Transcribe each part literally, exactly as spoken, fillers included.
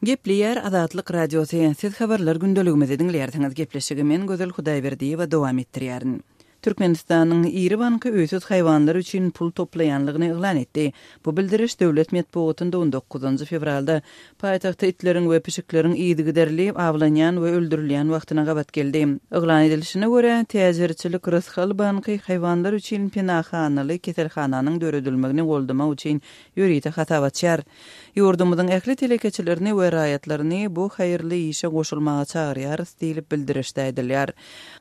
Gepleýär Azatlyk Radiosy. Siz habarlar gündeligimizi diňleýärsiňiz. Gepleşigi men Gözel Hudaýberdiýewa dowam etdirýärin. Türkmenistanyň iri banky öýsüz haýwanlar üçin pul toplaýanlygyny yglan etdi. Bu bildiriş döwlet metbugatynda on dokuzynjy fewralda paýtagtda itleriň we pişikleriň yzygiderli awlanýan we öldürilýän wagtyna gabat geldi. Yglan edilişine görä, täjirçilik Rysgal banky haýwanlar üçin penahanaly keselhananyň döredilmegini goldamak üçin ýörite hasap açýar. Ýurdumyzyň ähli telekeçilerini we raýatlaryny bu haýyrly işe goşulmaga çagyrýarys diýlip bildirişde aýdylýar.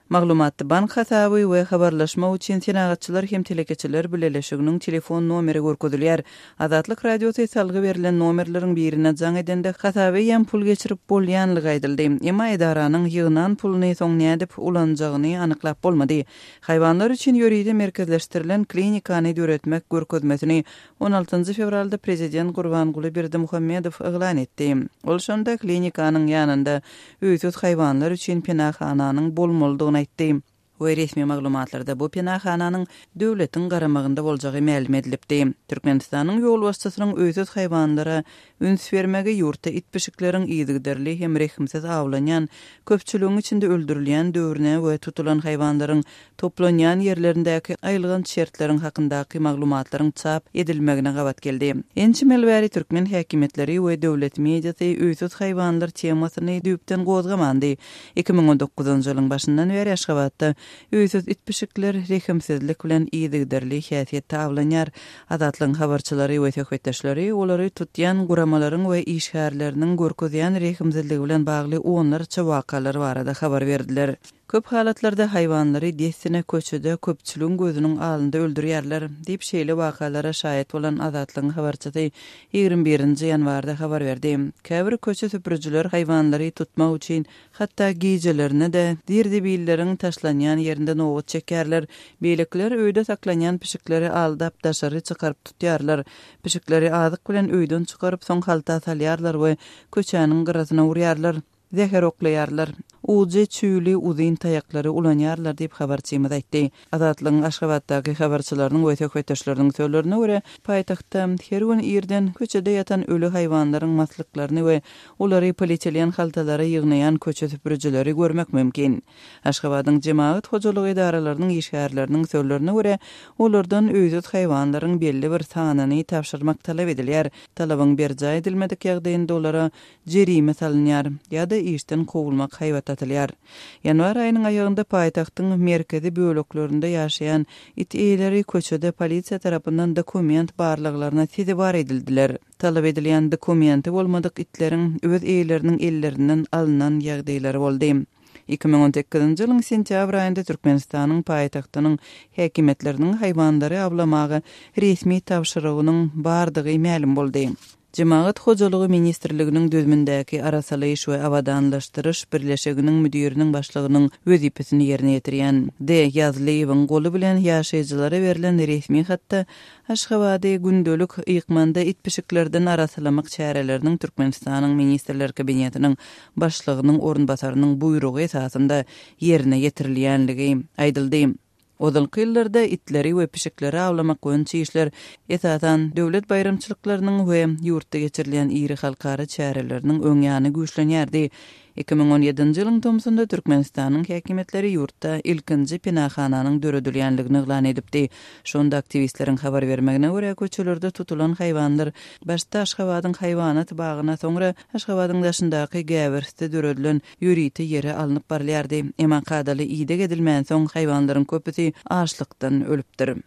Maglumatda bank hasaby we habarlaşmak üçin senagatçylar hem telekeçiler bileleşiginiň telefon nomeri görkezilýär. Azatlyk Radiosy salgy berlen nomerleriň birine jaň edende hasaby eýýäm pul geçirip bolýanlygy aýdyldy. Emma edaranyň ýygnan puluny soň nädip ulanjagyny anyklap bolmady. Haýwanlar üçin ýörite merkezleşdirilen klinikany döretmek görkezmesini on altynjy fewralda prezident Gurbanguly Berdimuhamedow yglan etdi. Ol şonda klinikanyň ýanynda öýsüz haýwanlar üçin penahananyň bolmalydygyny aýtdy. We resmi maglumatlarda bu penahananyň döwletiň garamagynda boljagy mälim edilipdi. Türkmenistanyň ýolbaşçysynyň öýsüz haýwanlara üns bermegi ýurtda it pişikleriň yzygiderli hem rehimsiz awlanýan, köpçüligiň içinde öldürilýän döwrüne we tutulan haýwanlaryň toplanýan ýerlerindäki aýylgan şertleriň hakyndaky maglumatlaryň çap edilmegine gabat geldi. Ençeme ýyl bäri türkmen häkimiýetleri we döwlet mediasy öýsüz haýwanlar temasyny düýpden gozgamandy. Iki müň on dokuzynjy ýylyň başyndan bäri Aşgabatda öýsüz it pişikler rehimsizlik bilen yzygiderli häsiýetde awlanýar. Azatlygyň habarçylary we söhbetdeşleri olary tutýan guramalaryň we işgärleriniň görkezýän rehimsizligi bilen bagly onlarça wakalar barada habar berdiler. Köp halatlarda haýwanlary dessine köçede köpçüligiň gözüniň alnynda öldürýärler diýip şeýle wakalara şaýat bolan Azatlygyň habarçysy ýigrimi birinji ýanwarda habar berdi. Käbir köçe süpürjiler haýwanlary tutmak üçin hatda gijelerine de zirzebilleriň taşlanýan ýerinde nobat çekerler. Beýlekiler öýde saklanýan pişikleri aldap daşary çykaryp tutýarlar. Pişikleri azyk bilen öýden çykaryp soň halta salýarlar we köçäniň gyrasyna urýarlar. Zäher oklaýarlar. Ujy çüýli uzyn taýaklary ulanýarlar diýip habarçymyz aýtdy. Azatlygyň Aşgabatdaky habarçylarynyň we söhbetdeşleriniň sözlerine görä, paýtagtda her gün irden köçede ýatan öli haýwanlaryň maslyklaryny we olary polietilen haltalara ýygnaýan köçe süpürjileri görmek mümkin. Aşgabadyň jemagat hojalyk edaralarynyň işgärleriniň sözlerine görä, olardan öýsüz haýwanlaryň belli bir sanyny tabşyrmak talap edilýär. Talabyň berjaý edilmedik ýagdaýynda olara jerime salynýar ýa-da işden kowulmak haýbat atylýar. Ýanwar aýynyň aýagynda paýtagtyň merkezi böleklerinde ýaşaýan it eýeleri köçede polisiýa tarapyndan dokument barlaglaryna sezewar edildiler. Talap edilýän dokumenti bolmadyk itleriň öz eýeleriniň ellerinden alynan ýagdaýlary boldy. Iki müň on sekizinji ýylyň sentýabr aýynda Türkmenistanyň paýtagtynyň häkimiýetleriniň haýwanlary awlamaga resmi tabşyrygynyň bardygy mälim boldy. Jemagat hojalygy ministrliginiň düzümindäki arasalaýyş we abadanlaşdyryş birleşiginiň müdiriniň başlygynyň wezipesini ýerine ýetirýän D. Ýazlyýewiň goly bilen ýaşaýjylara berlen resmi hatda Aşgabady gündelik ýykmanda it pişiklerden arasalamak çäreleriniň Türkmenistanyň Ministrler Kabinetiniň başlygynyň orunbasarynyň buýrugy esasynda ýerine ýetirilýänligi aýdyldy. Ozalky ýyllarda itleri we pişikleri awlamak boýunça işler esasan döwlet baýramçylyklarynyň we ýurtda geçirilýän iri halkara çäreleriniň öň ýany güýçlenýärdi. Iki müň on ýedinji ýylyň tomsunda Türkmenistanyň häkimiýetleri ýurtda ilkinji penahananyň döredilýänligini yglan edipdi. Şonda aktiwistleriň habar bermegine görä köçelerde tutulan haýwanlar başda Aşgabadyň haýwanat bagyna, soňra Aşgabadyň daşyndaky Gäwersde döredilen ýörite ýere alnyp barylýardy. Emma kadaly ideg edilmän soň haýwanlaryň köpüsi açlykdan ölüpdir.